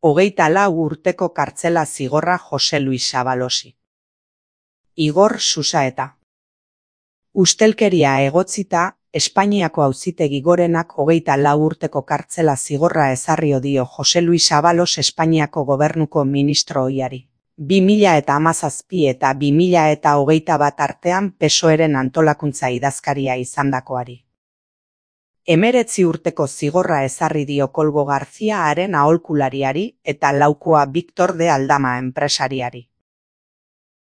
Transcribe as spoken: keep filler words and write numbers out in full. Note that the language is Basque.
Hogeita lau urteko kartzela zigorra Jose Luis Abalosi. Igor Susaeta. Ustelkeria egotzita, Espainiako Auzitegi Gorenak hogeita lau urteko kartzela zigorra ezarrio dio Jose Luis Abalos Espainiako gobernuko ministro ohiari. bi mila eta hamazazpi eta bi mila eta hogeita bat artean P S O E-ren antolakuntza idazkaria izandakoari. Hemeretzi urteko zigorra ezarri dio Koldo Garzia haren aholkulariari eta laukoa Victor de Aldama enpresariari.